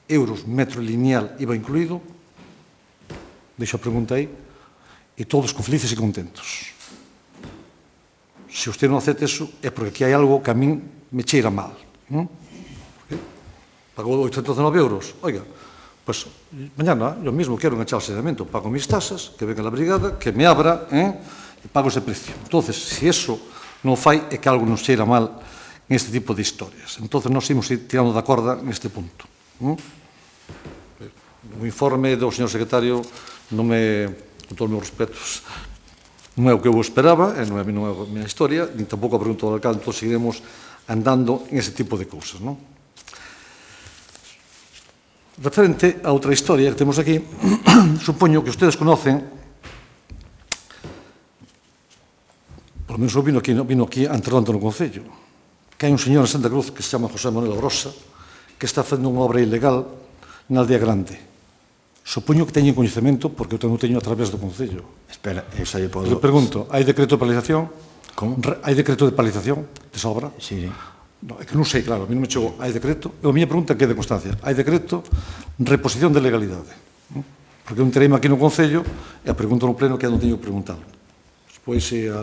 euros metro lineal I V A incluído, deixo a pregunta aí, e todos con felices e contentos. Se usted non acepta eso, é porque aquí hai algo que a min me cheira mal. Non? Pagou oitocentos e nove euros. Oiga, pues mañana yo mismo quero enganchar o saneamento, pago mis tasas, que venga la brigada, que me abra, eh, e pago ese precio. Entonces, se eso non fai, é que algo nos cheira mal en este tipo de historias. Entonces, nós imos ir tirando da corda neste punto. ¿Mm? O informe do señor secretario non me, con todos os meus respetos, non é o que eu esperaba, e non é, non é a minha historia, nin tampouco a pregunta do alcalde, entón seguiremos andando en ese tipo de cousas, non? Referente a outra historia que temos aquí, supoño que ustedes conocen, por lo menos eu vino aquí, vino aquí anteronte no Concello, que hai un señor en Santa Cruz que se chama José Manuel Grosa, que está facendo unha obra ilegal na Aldea Grande. Supoño que teñen coñecemento, porque eu non teño a través do Concello. Espera, eu xa lle podo... Le pregunto, hai decreto de paralización? Como? Hai decreto de paralización desa obra? Sí, sí. No, é que non sei, claro, a mí non me chegou. Hai decreto? E a miña pregunta que é de constancia. Hai decreto, reposición de legalidade. Porque eu enterei aquí no Concello e a pregunto no pleno que non teño que preguntalo. Pois se a...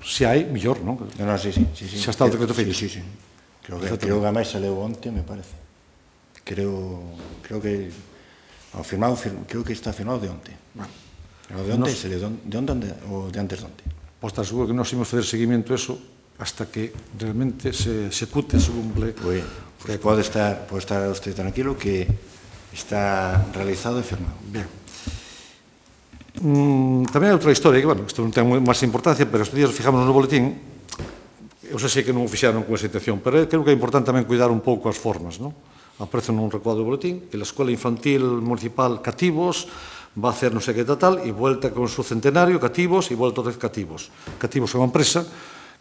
se hai, millor, non? No, no, sí, sí, sí, sí. Xa está o decreto feito. Sí, sí, sí. Creo que, creo que a máis saleu onte, me parece. Creo, creo que... Ao firmado, creo que está firmado de onte. Bueno, o de onte, nos... de onte, de onte ou de antes de onte. Pois está seguro que nós imos fazer seguimento a eso hasta que realmente se execute, se cumple. Pues, pues pode estar, pode estar usted tranquilo que está realizado e firmado. Bien. Mm, tamén hai outra historia que, bueno, isto non ten máis importancia, pero estes días fijamos no boletín, eu sei que non o fixaron con esa intención, pero creo que é importante tamén cuidar un pouco as formas, non? Aparece nun recuadro do boletín que a Escola Infantil Municipal Cativos va a hacer non sei que tal, e vuelta con su centenario, Cativos, e vuelta otra vez Cativos. Cativos é unha empresa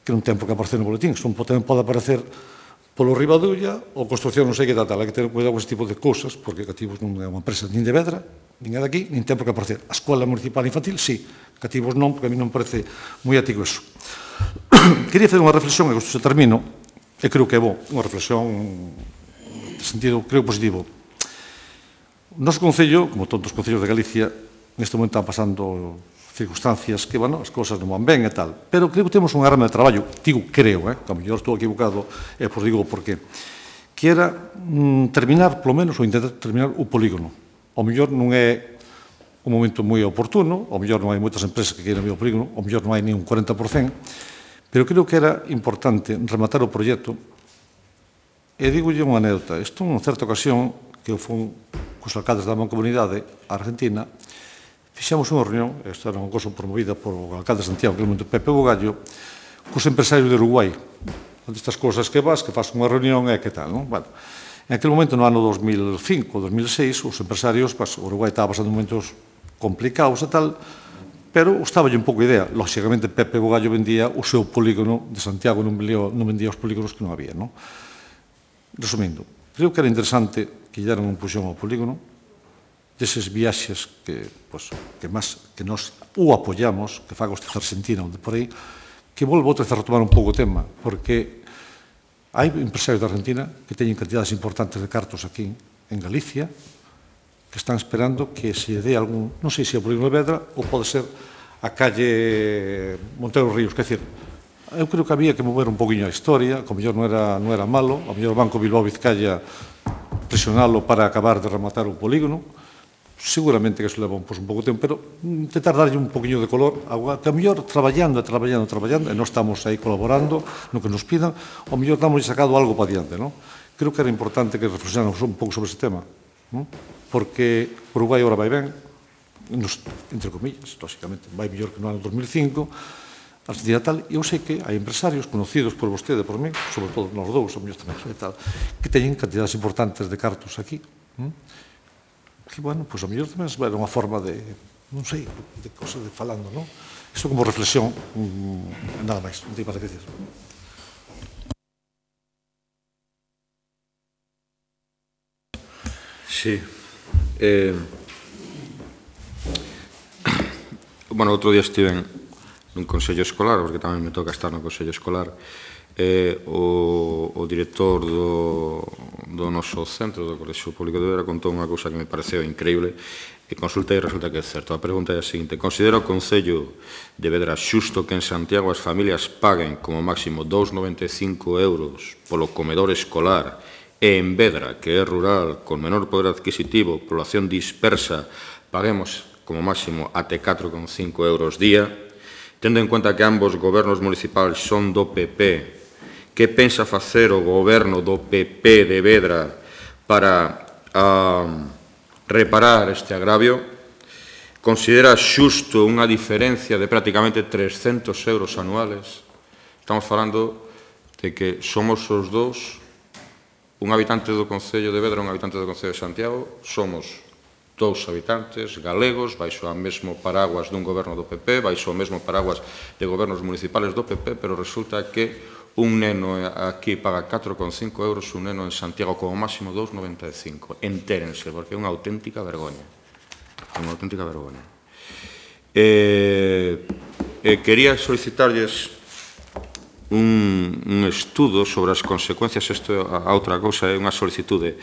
que non ten por que aparecer no boletín, son, tamén pode aparecer polo Ribadulla ou construcción non sei que tal, tal. Hai que ter cuidado con ese tipo de cousas, porque Cativos non é unha empresa nin de Vedra, nin é daqui, nin ten por que aparecer. A Escola Municipal Infantil, sí, Cativos non, porque a mí non me parece moi ético eso. Quería fazer unha reflexión, e isto se termino, e creo que é bo, unha reflexión de sentido, creo, positivo. O noso Concello, como todos os Concellos de Galicia, neste momento están pasando circunstancias que, bueno, as cousas non van ben e tal. Pero creo que temos unha arma de traballo, digo creo, eh, que a mellor estou equivocado, e por digo por qué, que era mm, terminar, polo menos, ou intentar terminar o polígono. O mellor non é un momento moi oportuno, o mellor non hai moitas empresas que queiran ver o polígono, o mellor non hai ni un cuarenta por cento, pero creo que era importante rematar o proxecto. E digolle unha anécdota. Isto, en certa ocasión, que eu fui cos alcaldes da Mancomunidade Argentina, fixemos unha reunión, esta era unha cosa promovida por o alcalde de Santiago, que é o momento Pepe Bugallo, cos empresarios de Uruguai. Estas cousas que vas, que faz unha reunión e que tal, non? Bueno, en aquel momento, no ano dos mil cinco, dos mil seis, os empresarios, pues, o Uruguai estaba pasando momentos complicados e tal, pero estaballe un pouco a idea. Lóxicamente, Pepe Bugallo vendía o seu polígono de Santiago, non vendía, non vendía os polígonos que non había, non? Resumindo, creo que era interesante que lle deran un puxón ao polígono, deses viaxes que, pues, que, más, que nos o apoyamos, que faga este Argentina, onde por aí, que volvo outra vez a retomar un pouco o tema, porque hai empresarios de Argentina que teñen cantidades importantes de cartos aquí en Galicia, que están esperando que se dé algún, non sei se é o polígono de Vedra ou pode ser a calle Montero Ríos, quer dizer, eu creo que había que mover un poquinho a historia, que o mellor non era, non era malo, o mellor o Banco Bilbao Vizcaya presionalo para acabar de rematar o polígono, seguramente que eso leva pues, un pouco de tempo, pero intentar darlle un poquinho de color, que a mellor traballando, traballando, traballando, e non estamos aí colaborando no que nos pidan, o mellor damos sacado algo para diante, non? Creo que era importante que reflexionáramos un pouco sobre ese tema, non? Porque Uruguai agora vai ben, nos, entre comillas, lógicamente, vai mellor que no ano dos mil cinco, Argentina tal, e eu sei que hai empresarios conocidos por vostede, por mí, sobre todo nos dous, o mellor tamén, e tal, que teñen cantidades importantes de cartos aquí, non? Que, bueno, pois a mellor tamén era unha forma de non sei, de cosas de falando, non? Isto como reflexión, nada máis, non teño para que decir. Sí. Eh, bueno, outro día estive nun consello escolar, porque tamén me toca estar no consello escolar, eh, o, o director do, do noso centro, do Colexio Público de Vedra, contou unha cousa que me pareceu increíble, e consulta e resulta que é certo. A pregunta é a seguinte: considera o Concello de Vedra xusto que en Santiago as familias paguen como máximo dous coma noventa e cinco euros polo comedor escolar e en Vedra, que é rural, con menor poder adquisitivo, población dispersa, paguemos como máximo até catro coma cinco euros día, tendo en conta que ambos gobernos municipais son do P P, que pensa facer o goberno do P P de Vedra para uh, reparar este agravio? Considera xusto unha diferencia de prácticamente trescentos euros anuales? Estamos falando de que somos os dous, un habitante do Concello de Vedra e un habitante do Concello de Santiago, somos dous habitantes galegos, baixo a mesmo paraguas dun goberno do P P, baixo o mesmo paraguas de gobernos municipales do P P, pero resulta que un neno aquí paga catro coma cinco euros, un neno en Santiago como máximo dous coma noventa e cinco. Entérense, porque é unha auténtica vergoña. É unha auténtica vergoña. Eh, eh, quería solicitarlles un, un estudo sobre as consecuencias, isto a, a outra cousa, é unha solicitude.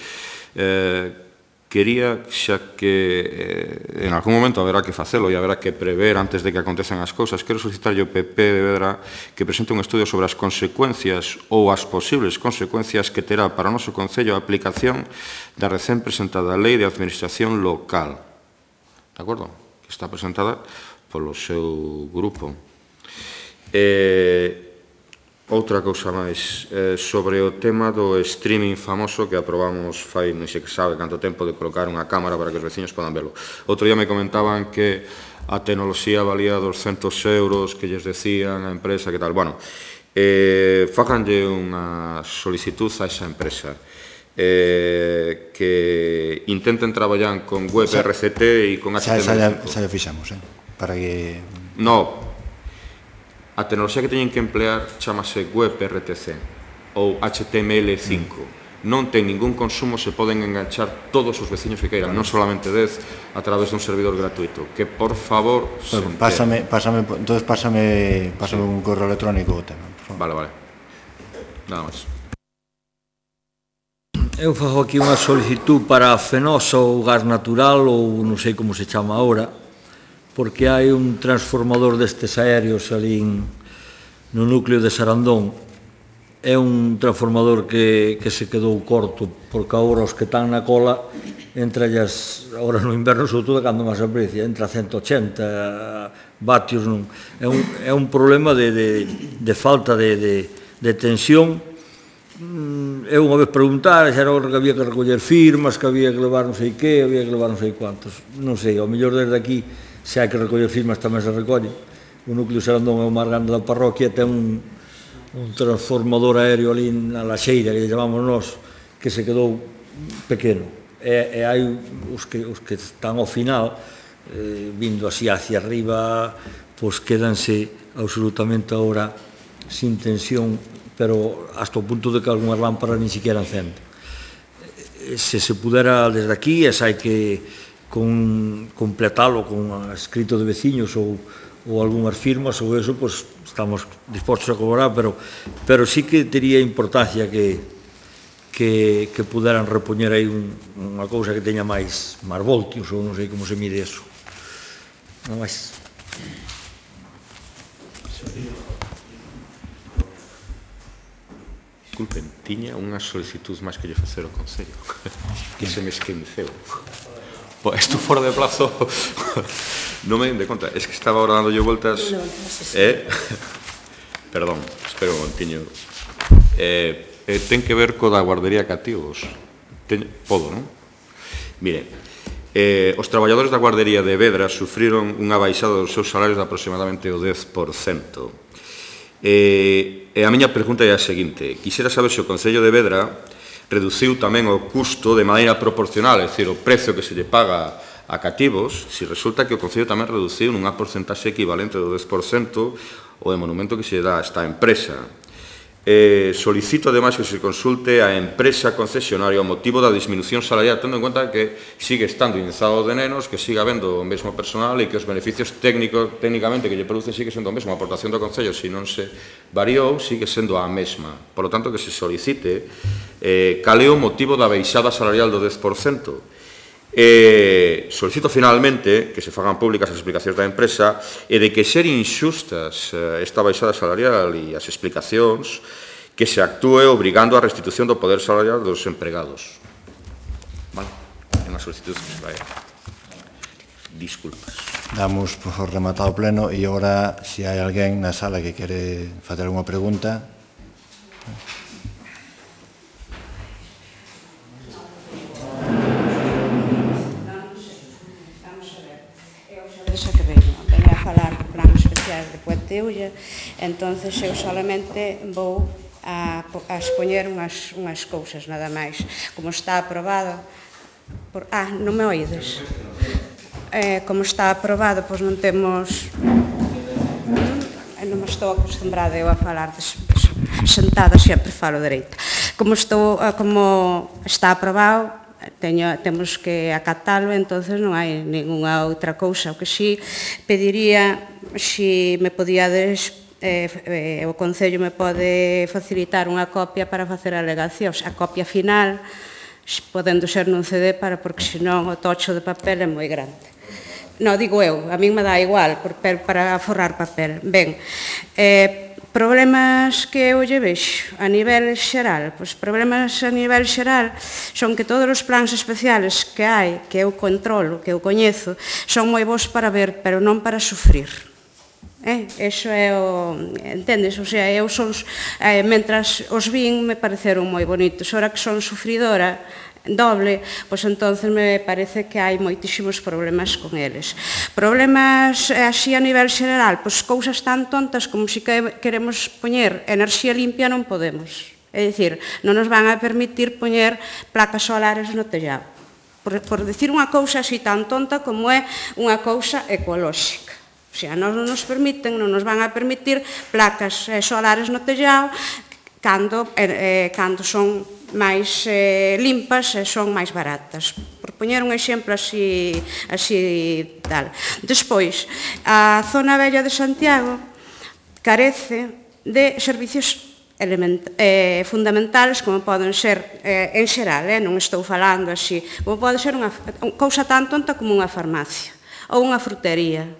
Eh, Quería, xa que eh, en algún momento haberá que facelo e haberá que prever antes de que acontezan as cousas, quero solicitarlle ao P P de Vedra que presente un estudio sobre as consecuencias ou as posibles consecuencias que terá para o noso Concello a aplicación da recén presentada Lei de Administración Local. De acordo? Que está presentada polo seu grupo. Eh... Outra cousa máis, eh, sobre o tema do streaming famoso que aprobamos fai, non sei que sabe canto tempo, de colocar unha cámara para que os veciños podan velo. Outro día me comentaban que a tecnoloxía valía doscentos euros, que lles decían a empresa, que tal. Bueno, eh, facanlle unha solicitud a esa empresa, eh, que intenten traballar con web R C T e con H T M L cinco. Xa xa fixamos, eh? Para que... No, a tecnoloxía que teñen que emplear chamase web R T C ou H T M L cinco. Non ten ningún consumo, se poden enganchar todos os veciños que queiran, non solamente dez, a través dun servidor gratuito. Que, por favor, se Bueno, pásame, pásame, entonces pásame, pásame un correo electrónico o tema, por favor. Vale, vale. Nada máis. Eu fago aquí unha solicitud para a Fenosa ou gas natural ou non sei como se chama agora, porque hai un transformador destes aéreos ali no núcleo de Sarandón. É un transformador que, que se quedou corto, porque agora os que están na cola, entre ellas, agora no inverno, sobre todo, cando máis aprecia, entra a ciento ochenta vatios. Non. É, un, é un problema de, de, de falta de, de, de tensión. Eu unha vez preguntar, xa era que había que recoller firmas, que había que levar non sei que, había que levar non sei cuantos. Non sei, ao mellor desde aquí, se hai que recoller firmas tamén se recolle. O núcleo Sarandón é o máis grande da parroquia, ten un, un transformador aéreo ali na Laxeira, que lle chamamos nós, que se quedou pequeno. E, e hai os que, os que están ao final, eh, vindo así hacia arriba, pois quedanse absolutamente agora sin tensión, pero hasta o punto de que algunhas lámparas nin siquiera encenden. Se se pudera desde aquí, e hai que con completalo con escrito de veciños ou, ou algunhas firmas ou eso, pues estamos dispostos a colaborar, pero, pero sí que tería importancia que, que, que puderan repoñer aí un, unha cousa que teña máis, máis voltios, ou non sei como se mide eso. Non máis. Disculpen, tiña unha solicitud máis que lle facer ao Concello, que se me esqueceu. Pues isto fora de plazo non me den de conta, es que estaba ahora dándolle vueltas eh? Perdón, espero un momentiño eh, eh, ten que ver co da guardería cativos. Ten... Podo, non? Mire, eh, os traballadores da guardería de Vedra sufriron unha baixada dos seus salarios de aproximadamente o dez por cento. eh, e a miña pregunta é a seguinte: quixera saber se o Concello de Vedra reduciu tamén o custo de maneira proporcional, é dicir, o precio que se lle paga a cativos, si resulta que o Concello tamén reduciu nunha porcentaxe equivalente do dez por cento o emolumento que se dá a esta empresa. Eh, solicito, ademais, que se consulte a empresa concesionaria o motivo da disminución salarial, tendo en conta que sigue estando indexado de nenos, que siga habendo o mesmo personal e que os beneficios técnicos, técnicamente que lle produce sigue sendo o mesmo. A aportación do Concello, se non se variou, sigue sendo a mesma. Por lo tanto, que se solicite eh, cal é o motivo da baixada salarial do dez por cento. Eh, solicito finalmente que se fagan públicas as explicacións da empresa e de que ser inxustas eh, esta baixada salarial e as explicacións que se actúe obrigando a restitución do poder salarial dos empregados. Vale, é unha solicitud que se vai. Disculpas. Damos por rematado o pleno e agora, se hai alguén na sala que quere facer unha pregunta. Esa que veño, veño a falar do plan especial de Puenteulla, entonces eu solamente vou a, a expoñer unhas, unhas cousas, nada máis. Como está aprobado, por, ah, non me oídes? Eh, como está aprobado, pois non temos, non me estou acostumbrada eu a falar des, sentada, sempre falo dereito. Como, estou, como está aprobado, Teño, temos que acatalo, entonces non hai ninguna outra cousa. O que si pediría, si me podíades, eh, eh, o Concello me pode facilitar unha copia para facer alegacións. A copia final, podendo ser nun C D, para, porque senón o tocho de papel é moi grande. Non, digo eu, a min me dá igual, para forrar papel. Ben, eh, problemas que eu lle vexo a nivel xeral, pois problemas a nivel xeral son que todos os plans especiales que hai, que eu controlo, que eu coñezo, son moi bons para ver, pero non para sufrir. Eh, eso é o, entendes? O sea, eu son, eh, mentras os vin me pareceron moi bonitos, ora que son sufridora doble, pois entonces me parece que hai moitísimos problemas con eles. Problemas así a nivel xeral, pois cousas tan tontas como se queremos poñer enerxía limpia non podemos. É dicir, non nos van a permitir poñer placas solares no tellado. Por, por decir unha cousa así tan tonta como é unha cousa ecolóxica. O sea, non nos permiten, non nos van a permitir placas solares no tellado cando, eh, cando son máis eh, limpas e son máis baratas. Por poñer un exemplo así, así tal. Despois, a zona vella de Santiago carece de servicios element, eh, fundamentales como poden ser, eh, en xeral, eh, non estou falando así, como pode ser unha cousa tan tonta como unha farmacia ou unha frutería.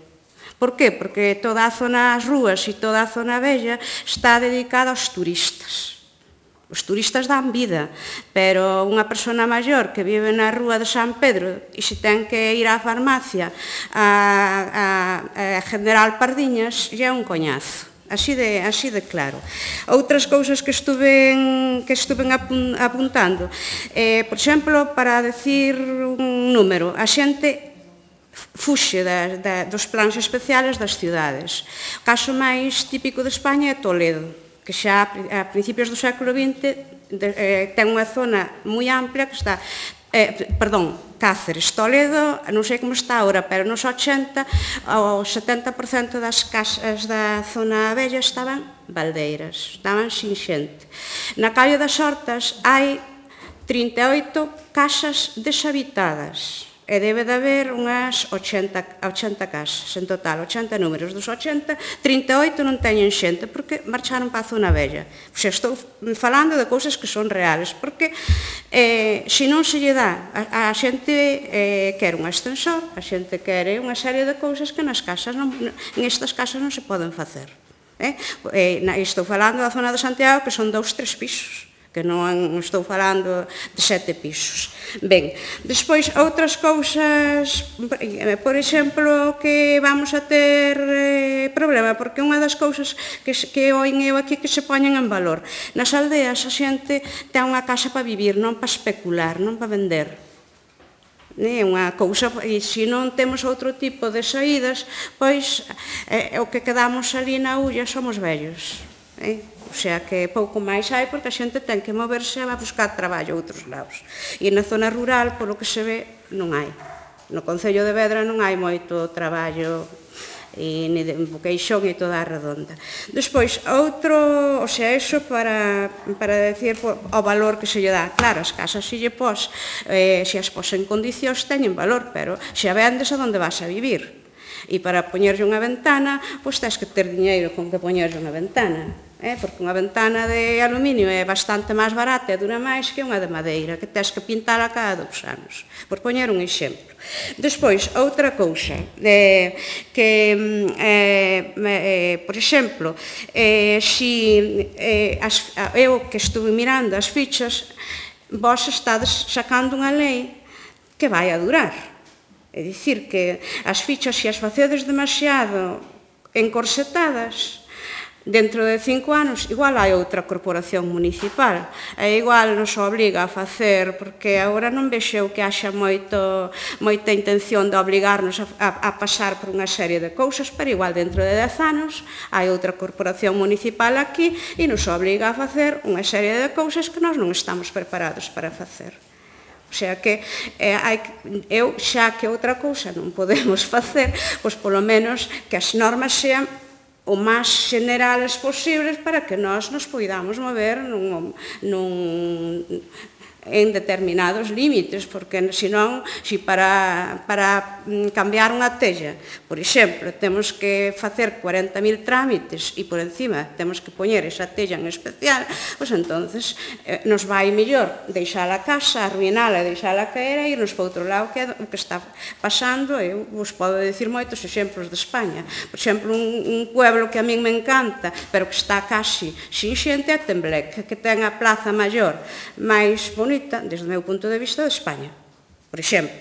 Por qué? Porque toda a zona, as rúas e toda a zona vella está dedicada aos turistas. Os turistas dan vida, pero unha persona maior que vive na rúa de San Pedro e se ten que ir á farmacia a, a, a General Pardiñas, já é un coñazo. Así de, así de claro. Outras cousas que estuven, que estuven apuntando, eh, por exemplo, para decir un número, a xente fuxe da, da, dos plans especiales das cidades. O caso máis típico de España é Toledo, que xa a principios do século vinte de, eh, ten unha zona moi amplia que está, eh, perdón, Cáceres, Toledo, non sei como está agora, pero nos ochenta, o setenta por cento das casas da zona vella estaban baldeiras, estaban sin xente. Na Calle das Hortas hai trinta e oito casas deshabitadas, e debe de haber unhas ochenta casas en total, ochenta números. Dos ochenta, trinta e oito non teñen xente, porque marcharon para a zona vella. Xa estou falando de cousas que son reales, porque eh, se non se lle dá, a, a xente eh, quere un ascensor, a xente quere unha serie de cousas que nas casas, non, en estas casas non se poden facer. Eh? Eh, estou falando da zona de Santiago, que son dous, tres pisos, que non estou falando de sete pisos. Ben, despois, outras cousas, por exemplo, que vamos a ter eh, problema, porque unha das cousas que, que oin eu aquí que se poñen en valor. Nas aldeas a xente ten unha casa para vivir, non para especular, non para vender. É unha cousa, e se non temos outro tipo de saídas, pois eh, o que quedamos ali na ulla somos vellos. Eh? O sea, que pouco máis hai porque a xente ten que moverse a buscar traballo a outros lados. E na zona rural, polo que se ve, non hai. no Concello de Vedra non hai moito traballo e ni de Boqueixón e toda a redonda. Despois, outro, o sea, eso para, para decir o valor que se lle dá. Claro, as casas se lle pos, eh, se as pos en condicións teñen valor, pero se a vendes a onde vas a vivir. E para poñerlle unha ventana, pois tens que ter diñeiro con que poñerlle unha ventana. Eh, porque unha ventana de aluminio é bastante máis barata e dura máis que unha de madeira, que tens que pintala cada dous anos, por poñer un exemplo. Despois, outra cousa, eh, que, eh, eh, por exemplo, eh, si, eh, as, eu que estuve mirando as fichas, vos estades sacando unha lei que vai a durar. É dicir, que as fichas, se as facedes demasiado encorsetadas, dentro de cinco anos, igual hai outra corporación municipal, e igual nos obliga a facer, porque agora non vexo que haxa moito, moita intención de obligarnos a, a, a pasar por unha serie de cousas, pero igual dentro de dez anos hai outra corporación municipal aquí e nos obliga a facer unha serie de cousas que nós non estamos preparados para facer. O sea que, eh, hai, eu xa que outra cousa non podemos facer, pois polo menos que as normas sean o máis generales posibles para que nós nos poidamos mover nun, nun, en determinados límites, porque senón, se para, para cambiar unha tella, por exemplo, temos que facer cuarenta mil trámites e por encima temos que poñer esa tella en especial, pois entonces eh, nos vai mellor deixar a casa, arruinala e deixala caer e irnos para outro lado, que é o que está pasando. Eu vos podo dicir moitos exemplos de España. Por exemplo, un, un pueblo que a min me encanta, pero que está casi sin xente, é Tembleque, que ten a plaza maior máis bonita desde o meu punto de vista de España, por exemplo.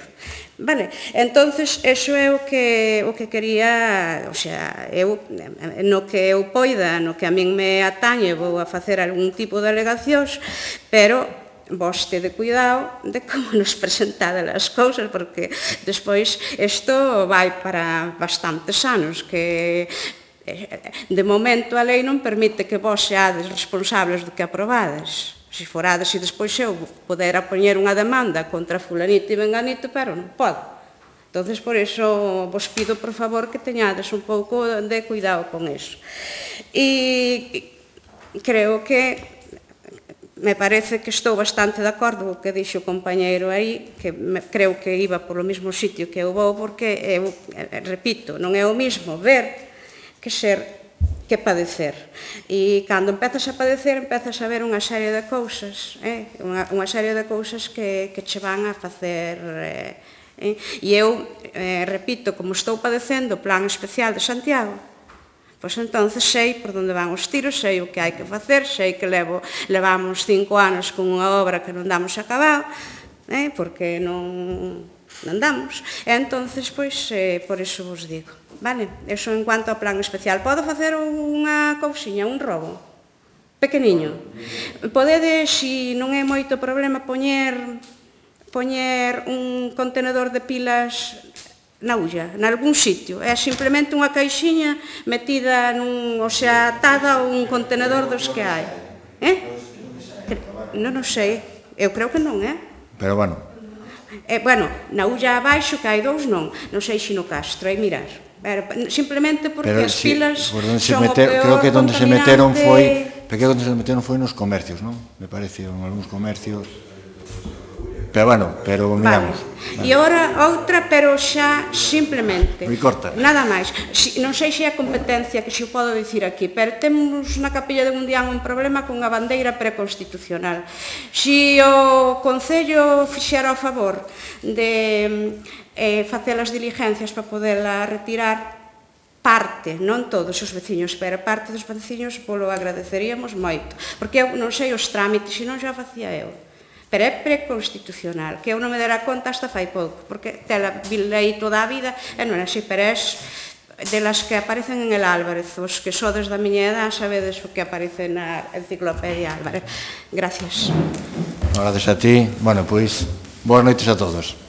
Vale, entonces, eso é o que, o que quería, o sea, eu, no que eu poida, no que a min me atañe, vou a facer algún tipo de alegacións, pero vos tede cuidado de como nos presentade as cousas, porque despois isto vai para bastantes anos, que de momento a lei non permite que vos seades responsables do que aprobades. Se forades e despois eu podera poñer unha demanda contra fulanito e venganito, pero non podo. Entonces, por iso vos pido, por favor, que teñades un pouco de cuidado con iso. E creo que me parece que estou bastante de acordo co que dixo o compañeiro aí, que creo que iba polo mesmo sitio que eu vou, porque eu, repito, non é o mesmo ver que ser que padecer. E cando empezas a padecer, empezas a ver unha serie de cousas, eh? unha, unha serie de cousas que, que che van a facer... Eh? E eu, eh, repito, como estou padecendo o Plan Especial de Santiago, pois entonces sei por onde van os tiros, sei o que hai que facer, sei que levo, levamos cinco anos con unha obra que non damos acabado, eh? porque non, non damos. E entonces, pois, eh, por iso vos digo. Vale, eso en cuanto ao plan especial. Podo facer unha cousiña, un robo pequeniño? Podedes, se non é moito problema, poñer poñer un contenedor de pilas na ulla, nalgún sitio. É simplemente unha caixiña metida nun, o sea, atada a un contenedor dos que hai. Eh? Non o sei. Eu creo que non, eh? Pero bueno. Eh, bueno, na ulla abaixo, que hai dous, non. Non sei se no Castro, hai mirar. Pero, simplemente porque pero as si, pilas son meter, o peor creo que donde se meteron foi, contaminante. porque onde se meteron foi nos comercios, non? Me parece, en algúns comercios. Pero bueno, pero miramos. Vale. E agora outra, pero xa simplemente. Moi corta. Nada máis. Si, non sei se é a competencia que se o podo dicir aquí, pero temos na Capilla de Gundián un problema con a bandeira preconstitucional. Si o Concello fixera o favor de eh, facer as diligencias para poderla retirar, parte, non todos os veciños, pero parte dos veciños polo agradeceríamos moito, porque eu non sei os trámites, se non xa facía eu. Pero é preconstitucional, que eu non me dera conta hasta fai pouco, porque tela vilei toda a vida, e non é así, pero é de las que aparecen en el Álvarez, os que sodes da miña edad sabedes o que aparece na enciclopedia Álvarez. Gracias. Gracias a ti. Bueno, pois, boas noites a todos.